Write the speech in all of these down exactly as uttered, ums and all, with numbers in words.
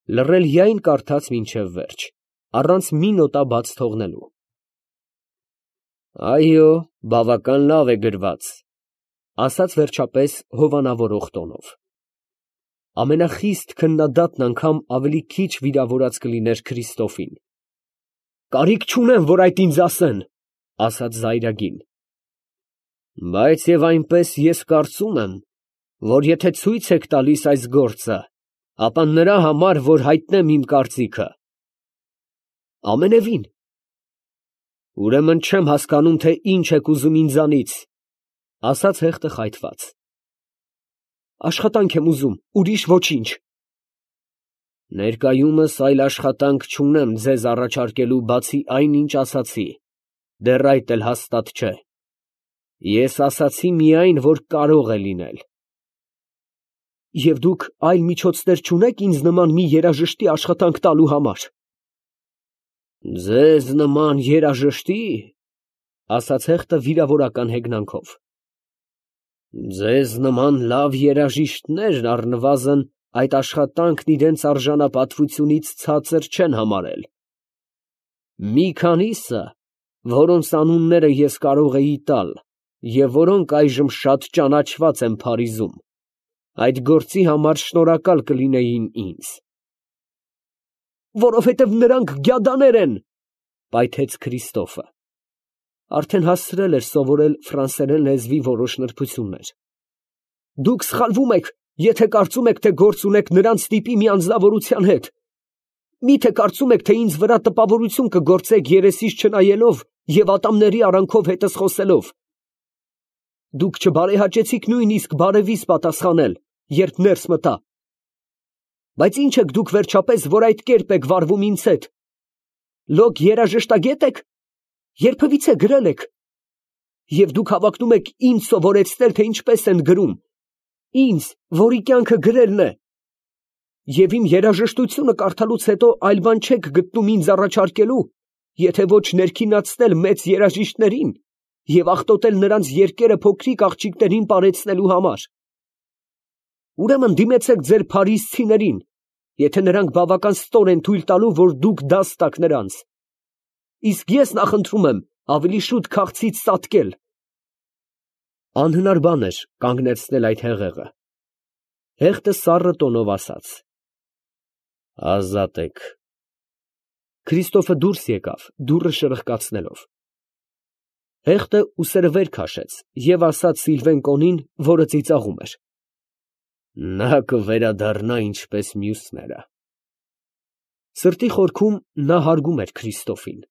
Լռել միայն կարդաց մինչև վերջ, առանց մի նոտա բաց թողնելու։ Այո, բավական լավ է գրված, ֊ ասաց վերջապես հովանավորող տոնով։ Ամենախիստ քննադատն անգամ ավելի քիչ վիրավորած կլիներ Քրիստոֆին։ Կարիք չունեմ, որ այդ ինձ ասեն, ֊ ասաց զայրագին։ Բայց և այնպես ես կարծում եմ, որ եթե ցույց եք տալիս այս գործը, ապա նրա համար, որ հայտնեմ իմ կարծիքը։ Ամենևին։ Ուրեմն չեմ հասկանում, թե ինչ եք ուզում ինձանից, ֊ ասաց հեղտը խայթված։ Աշխատանք եմ ուզում, ուրիշ ոչինչ։ Ներկայումս այլ աշխատանք չունեմ ձեզ առաջարկելու, բացի այն, ինչ ասացի, դեռ այդ էլ հաստատ չէ։ Ես ասացի միայն, որ կարող է լինել։ Եվ դուք այլ միջոցներ չունեք ինձ նման մի երաժշտի աշխատանք տալու համար։ Ձեզ նման երաժշտի, ֊ ասաց հեղտը վիրավորական հեգնանքով։ Ձեզ նման լավ երաժիշտներ առնվազն այդ աշխատանքն իրենց արժանապատվությունից ցածր չեն համարել։ Մի քանիսը, որոնց անունները ես կարող էի տալ, և որոնք այժմ շատ ճանաչված են Փարիզում, այդ գործի համար շնորհակալ կլինեին ինձ։ Որովհետև նրանք գյադաներ են, ֊ պայթեց Քրիստոֆը. արդեն հասցրել էր սովորել ֆրանսերեն լեզվի որոշ նրբություններ։ Դուք սխալվում եք, եթե կարծում եք, թե գործ ունեք նրանց տիպի մի անձնավորության հետ։ Մի՞թե կարծում եք, թե ինձ վրա տպավորություն կգործեք երեսիս չնայելով և ատամների արանքով հետս խոսելով։ Դուք չբարեհաճեցիք նույնիսկ բարևիս պատասխանել, երբ ներս մտա։ Բայց ի՞նչ եք դուք վերջապես, որ այդ կերպ եք վարվում ինձ հետ։ Լոկ երաժշտագե՞տ եք։ Երբևիցե գրել եք։ Եվ դուք հավակնում եք ինձ սովորեցնել, թե ինչպես են գրում, ինձ, որի կյանքը գրելն է։ Եվ իմ երաժշտությունը կարդալուց հետո այլ բան չեք գտնում ինձ առաջարկելու, եթե ոչ ներքինացնել մեծ երաժիշտներին և աղտոտել նրանց երկերը փոքրիկ աղջիկներին պարեցնելու համար։ Ուրեմն դիմեցեք ձեր փարիզցիներին, եթե նրանք բավական ստոր են թույլ տալու, որ դուք դաս տաք նրանց։ Իսկ ես նախընտրում եմ ավելի շուտ քաղցից ծածկել։ Անհնար բան էր կանգնեցնել այդ հեղեղը։ Հեղտը սառը տոնով ասաց. Ազատ եք։ Քրիստոֆը դուրս եկավ, դուռը շրխկացնելով։ Հեղտը ուսերը վեր քաշեց և ասաց Սիլվեն Կոնին, որը ծիծաղում էր. Նա կվերադառնա ինչպես մյուսները։ Սրտի խորքում նա հարգում էր Քրիստոֆին։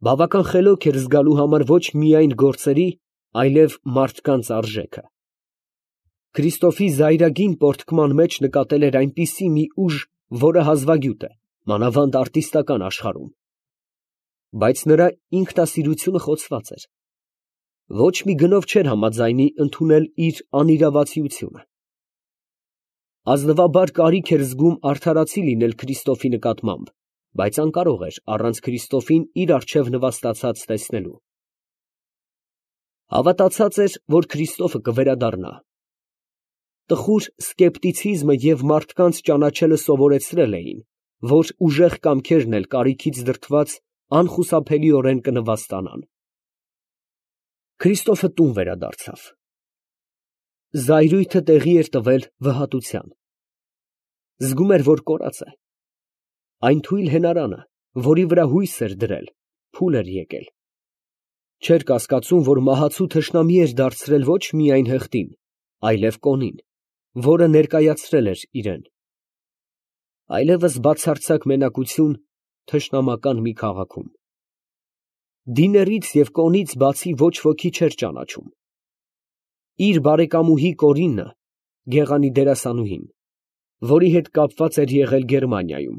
Բավական խելոք էր զգալու համար ոչ միայն գործերի, այլև մարդկանց արժեքը։ Քրիստոֆի զայրագին պորտկման մեջ նկատել էր այնպիսի մի ուժ, որը հազվագյուտ է, մանավանդ արտիստական աշխարհում։ Բայց նրա ինքնասիրությունը խոցված էր։ Ոչ մի գնով չէր համաձայնի ընդունել իր անիրավացիությունը։ Ազնվաբար կարիք էր զգում արդարացի լինել Քրիստոֆի նկատմամբ, բայց անկարող էր առանց Քրիստոֆին իր առջև նվաստացած տեսնելու։ Հավատացած էր, որ Քրիստոֆը կվերադառնա։ Տխուր սկեպտիցիզմը և մարդկանց ճանաչելը սովորեցրել էին, որ ուժեղ կամքերն էլ կարիքից դրդված անխուսափելիորեն կնվաստանան։ Քրիստոֆը տուն վերադարձավ։ Զայրույթը տեղի էր տվել վհատության։ Զգում էր, որ կորած է։ Այն թույլ հենարանը, որի վրա հույս էր դրել, փուլ էր եկել։ Չէր կասկածում, որ մահացու թշնամի էր դարձրել ոչ միայն հեղտին, այլև Կոնին, որը ներկայացրել էր իրեն։ Այլևս բացարձակ մենակություն թշնամական մի քաղաքում։ Դիներից և Կոնից բացի ոչ ոքի չէր ճանաչում։ Իր բարեկամուհի Կորինը, գեղանի դերասանուհին, որի հետ կապված էր եղել Գերմանիայում,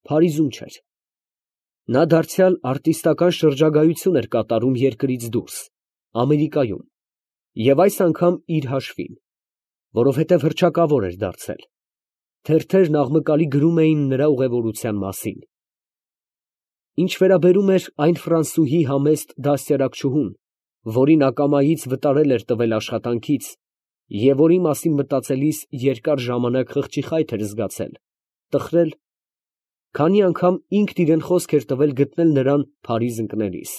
Փարիզում չէր։ Նա դարձյալ արտիստական շրջագայություն էր կատարում երկրից դուրս, Ամերիկայում, և այս անգամ իր հաշվին, որովհետև հռչակավոր էր դարձել։ Թերթերն աղմկալի գրում էին նրա ուղևորության մասին։ Ինչ վերաբերում էր այն ֆրանսուհի համեստ դաստիարակչուհուն, որին ակամայից վտարել էր տվել աշխատանքից և որի մասին մտածելիս երկար ժամանակ խղճի խայթ էր զգացել, տխրել, քանի անգամ ինքն իրան խոսք էր տվել գտնել նրան Փարիզ ընկնելիս.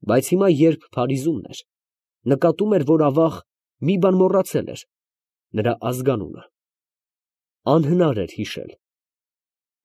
բայց հիմա, երբ Փարիզումն էր, նկատում էր, որ ավաղ մի բան մոռացել էր, նրա ազգանունը. անհնար էր հիշել.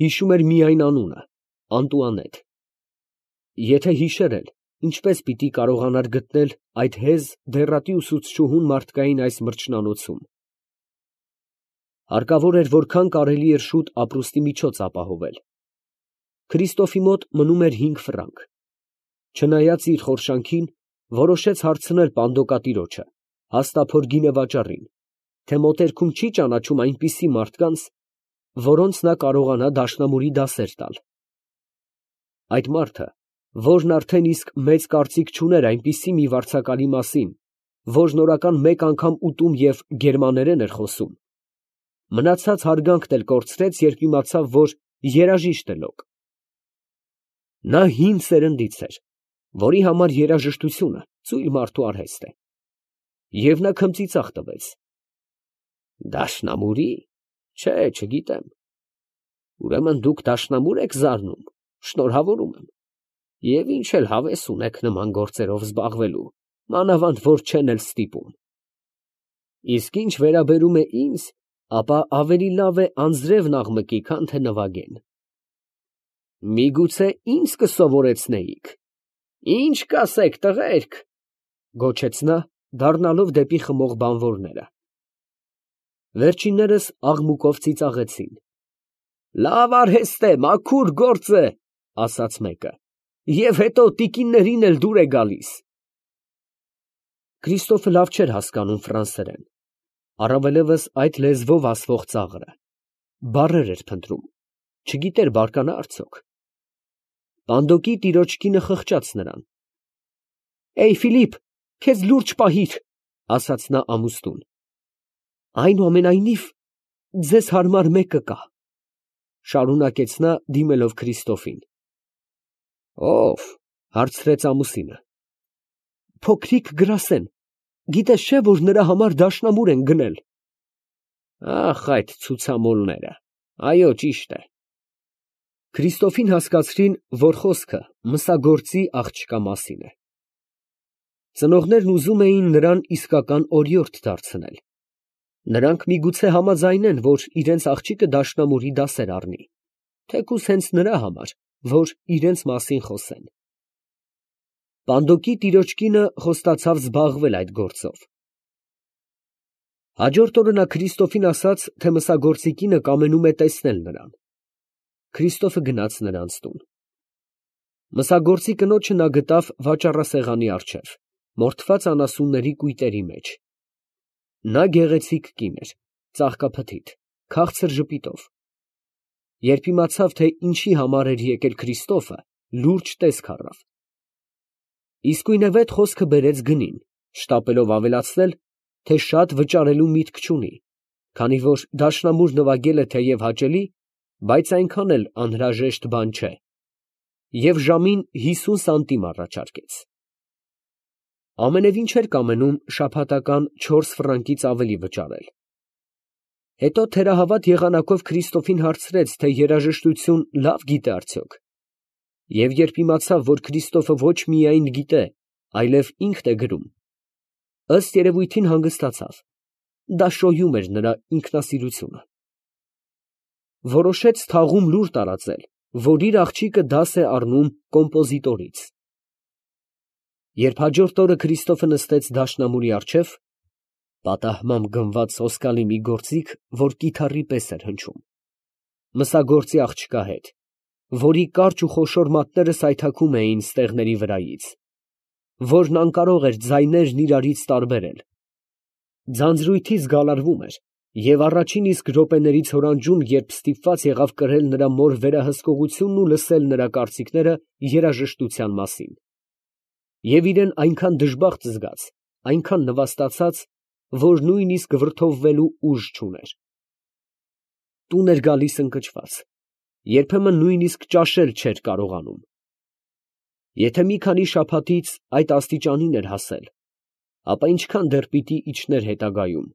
հիշում էր միայն անունը՝ Անտուանետ. եթե հիշեր էլ, ինչպես պիտի կարողանար գտնել այդ հեզ դեռատի ուսուցչուհուն մարդկային այս մրջնանոցում. հարկավոր էր որքան կարելի էր շուտ ապրուստի միջոց ապահովել. Քրիստոֆի մոտ մնում էր հինգ ֆրանկ. չնայած իր խորշանքին, որոշեց հարցնել պանդոկատիրոջը, հաստափոր գինեվաճառին, թե մոտերքում չի ճանաչում այնպիսի մարդկանց, որոնց նա կարողանա դաշնամուրի դասեր տալ. այդ մարդը, որն արդեն իսկ մեծ կարծիք չուներ այնպիսի մի վարձակալի մասին, որն օրական մեկ անգամ ուտում և գերմաներեն էր խոսում, մնացած հարգանքն էլ կորցրեց, երբ իմացավ, որ երաժիշտ է լոկ. նա հին սերնդից էր, որի համար երաժշտությունը ծույլ մարդու արհեստ է, և նա քմծիծաղ տվեց. դաշնամուրի՞, չէ, չգիտեմ. ուրեմն դուք դաշնամուր եք զարնում, շնորհավորում եմ, և ինչ էլ հավես ունեք նման գործերով զբաղվելու, մանավանդ որ չեն էլ ստիպում. իսկ ինչ վերաբերում է ինձ, ապա ավելի լավ է անձրևն աղմկի, քան թե նվագեն. միգուցե ինձ կսովորեցնեիք. ի՞նչ կասեք, տղերք, գոչեց նա, դառնալով դեպի խմող բանվորները. վերջիններս աղմուկով ծիծաղեցին. լավ արհեստ է, մաքուր գործ է, ասաց մեկը, և հետո տիկիններին էլ դուր է գալիս. Քրիստոֆը լավ չէր հասկանում ֆրանսերեն, առավելևս այդ լեզվով ասվող ծաղրը, բառեր էր փնտրում, չգիտեր բարկանա արդյոք. պանդոկի տիրոջ կինը խղճաց նրան. «Էյ, Ֆիլիպ, քեզ լուրջ պահիր», ասաց նա ամուսնուն. «այնուամենայնիվ, ձեզ հարմար մեկը կա», շարունակեց նա, դիմելով Քրիստոֆին. «Ո՞վ» հարցրեց ամուսինը. «Փոքրիկ Գրասեն, գիտես չէ, որ նրա համար դաշնամուր են գնել»։ «Ախ, այդ ցուցամոլները, այո, ճիշտ է»։ Քրիստոֆին հասկացրին, որ խոսքը մսագործի աղջկա մասին է։ Ծնողներն ուզում էին նրան իսկական օրիորդ դարձնել. նրանք միգուցե համաձայնեն, որ իրենց աղջիկը դաշնամուրի դասեր առնի, թեկուզ հենց նրա համար, որ իրենց մասին խոսեն։ Պանդոկի տիրոջ կինը խոստացավ զբաղվել այդ գործով։ Հաջորդ օրը նա Քրիստոֆին ասաց, թե մսագործի կինը կամենում է տեսնել նրան։ Քրիստոֆը գնաց նրանց տուն։ Մսագործի կնոջը նա գտավ վաճառասեղանի առջև, մորթված անասունների կույտերի մեջ։ Նա գեղեցիկ կին էր, ծաղկափթիթ, քաղցր ժպիտով։ Երբ իմացավ, թե ինչի համար էր եկել Քրիստոֆը, լուրջ տեսք առավ։ Իսկույնևեթ խոսքը բերեց գնին, շտապելով ավելացնել, թե շատ վճարելու միտք չունի, քանի որ դաշնամուր նվագելը թեև հաճելի, բայց այնքան էլ անհրաժեշտ բան չէ, և ժամին հիսուն սանտիմ առաջարկեց։ Ամենևին չէր կամենում շաբաթական չորս ֆրանկից ավելի վճարել։ Հետո թերահավատ եղանակով Քրիստոֆին հարցրեց, թե երաժշտություն լավ գիտե արդյոք, և երբ իմացավ, որ Քրիստոֆը ոչ միայն գիտե, այլև ինքն է գրում, ըստ երևույթին հանգստացավ, դա շոյում էր նրա ինքնասիրությունը։ Որոշեց թաղում լուր տարածել, որ իր աղջիկը դաս է առնում կոմպոզիտորից։ Երբ հաջորդ օրը Քրիստոֆը նստեց դաշնամուրի առջև, պատահմամբ գնված սոսկալի մի գործիք, որ կիթառի պես էր հնչում, մսագործի աղջկա հետ, որի կարճ ու խոշոր մատները սայթաքում էին ստեղների վրայից, որն անկարող էր ձայներն իրարից տարբերել, ձանձրույթից գալարվում էր և առաջին իսկ րոպեներից հորանջում, երբ ստիպված եղավ կրել նրա մոր վերահսկողությունն ու լսել նրա կարծիքները երաժշտության մասին, և իրան այնքան դժբախտ զգաց, այնքան նվաստացած, որ նույնիսկ վրդովվելու ուժ չուներ։ Տուն էր գալիս ընկճված, երբեմն նույնիսկ ճաշել չէր կարողանում։ Եթե մի քանի շաբաթից այդ աստիճանին էր հասել, ապա ինչքան դեռ պիտի իջներ հետագայում։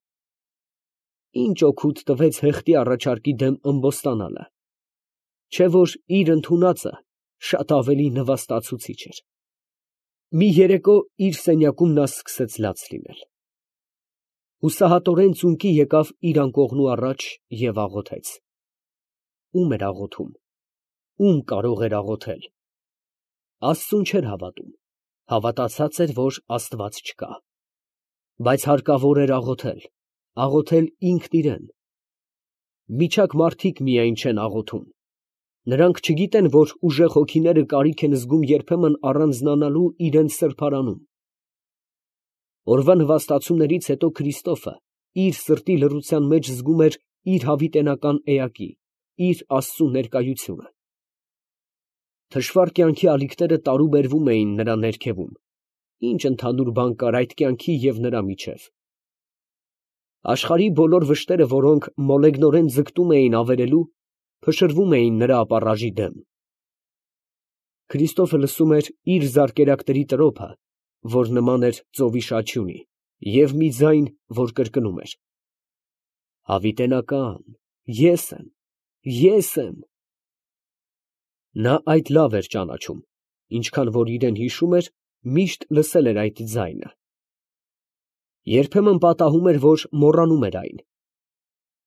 Ինչ օգուտ տվեց հեղտի առաջարկի դեմ ըմբոստանալը, չէ որ իր ընդունածը շատ ավելի նվաստացուցիչ էր։ Մի երեկո իր սենյակում նա սկսեց լաց լինել։ Հուսահատորեն ծունկի եկավ իր անկողնու առաջ և աղոթեց։ Ո՞ւմ էր աղոթում, ո՞ւմ կարող էր աղոթել։ Աստծուն չէր հավատում, հավատացած էր, որ Աստված չկա։ Բայց հարկավոր էր աղոթել, աղոթել ինքն իրան։ Միջակ մարդիկ միայն չեն աղոթում։ Նրանք չգիտեն, որ ուժեղ հոգիները կարիք են զգում երբեմն առանձնանալու իրենց սրբարանում։ Օրվա նվաստացումներից հետո Քրիստոֆը իր սրտի լռության մեջ զգում էր իր հավիտենական էակի, իր Աստծու ներկայությունը։ Թշվառ կյանքի ալիքները տարուբերվում էին նրա ներքևում, ինչ ընդհանուր բան կար այդ կյանքի և նրա միջև։ Աշխարհի բոլոր վշտերը, որոնք մոլեգնորեն ձգտում էին ավերելու, փշրվում էին նրա ապառաժի դեմ։ Քրիստոֆը լսում էր իր զարկերակների տրոփը, որ նման էր ծովի շաչյունի, և մի ձայն, որ կրկնում էր. «Հավիտենական, ես եմ, ես եմ»։ Նա այդ լավ էր ճանաչում, ինչքան որ իրեն հիշում էր, միշտ լսել էր այդ ձայնը։ Երբեմն պատահում էր, որ մոռանում էր այն։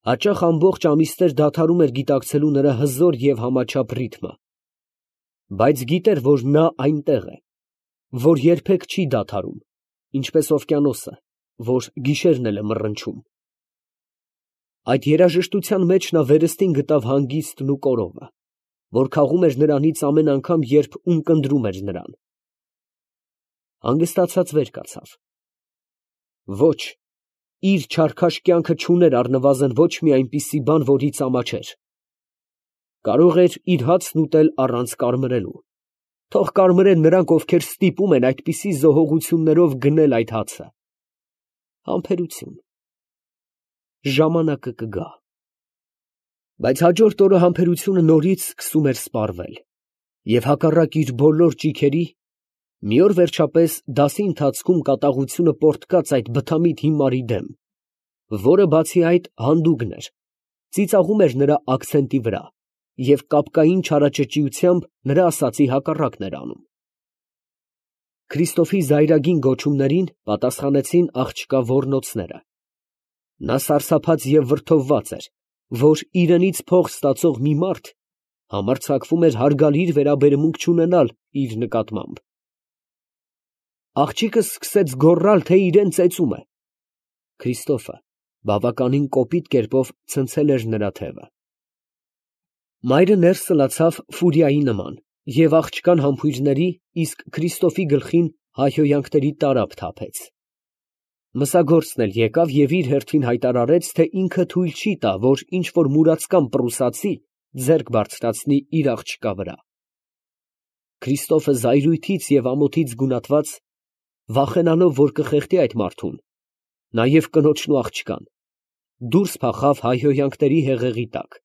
Հաճախ ամբողջ ամիսներ դադարում էր գիտակցելու նրա հզոր և համաչափ ռիթմը, բայց գիտեր, որ նա այնտեղ է, որ երբեք չի դադարում, ինչպես օվկիանոսը, որ գիշերն էլ է մռնչում։ Այդ երաժշտության մեջ նա վերստին գտավ հանգիստն ու կորովը, որ քաղում էր նրանից ամեն անգամ, երբ ունկնդրում էր նրան։ Հանգստացած վեր կացավ։ Ոչ, իր չարքաշ կյանքը չուներ առնվազն ոչ մի այնպիսի բան, որից ամաչեր։ Կարող էր իր հացն ուտել առանց կարմրելու, թող կարմրեն նրանք, ովքեր ստիպում են այդպիսի զոհողություններով գնել այդ հացը։ Համբերություն։ Ժամանակը կգա։ Բայց հաջորդ օրը համբերությունը նորից սկսում էր սպառվել, և հակառակ իր բոլոր ճիգերի, մի օր վերջապես դասի ընթացքում կատաղությունը պոռթկաց այդ բթամիտ հիմարի դեմ, որը բացի այդ հանդուգն էր, ծիծաղում էր նրա աքցենտի վրա և կապկային չարաճճիությամբ նրա ասածի հակառակն էր անում։ Քրիստոֆի զայրագին գոչումներին պատասխանեցին աղջկա ոռնոցները։ Նա սարսափած և վրդովված էր, որ իրենից փող ստացող մի մարդ համարձակվում էր հարգալիր վերաբերմունք չունենալ իր նկատմամբ։ Աղջիկը սկսեց գոռալ, թե իրան ծեծում է։ Քրիստոֆը բավականին կոպիտ կերպով ցնցել էր նրա թևը։ Մայրը ներս սլացավ ֆուրիայի նման և աղջկան համբույրների, իսկ Քրիստոֆի գլխին հայհոյանքների տարափ թափեց։ Մսագործն էլ եկավ և իր հերթին հայտարարեց, թե ինքը թույլ չի տա, որ ինչ֊որ մուրացկան պրուսացի ձեռք բարձրացնի իր աղջկա վրա։ Քրիստոֆը զայրույթից և ամոթից գունատված, վախենալով, որ կխեղդի այդ մարդուն, նաև կնոջն ու աղջկան, դուրս փախավ հայհոյանքների հեղեղի տակ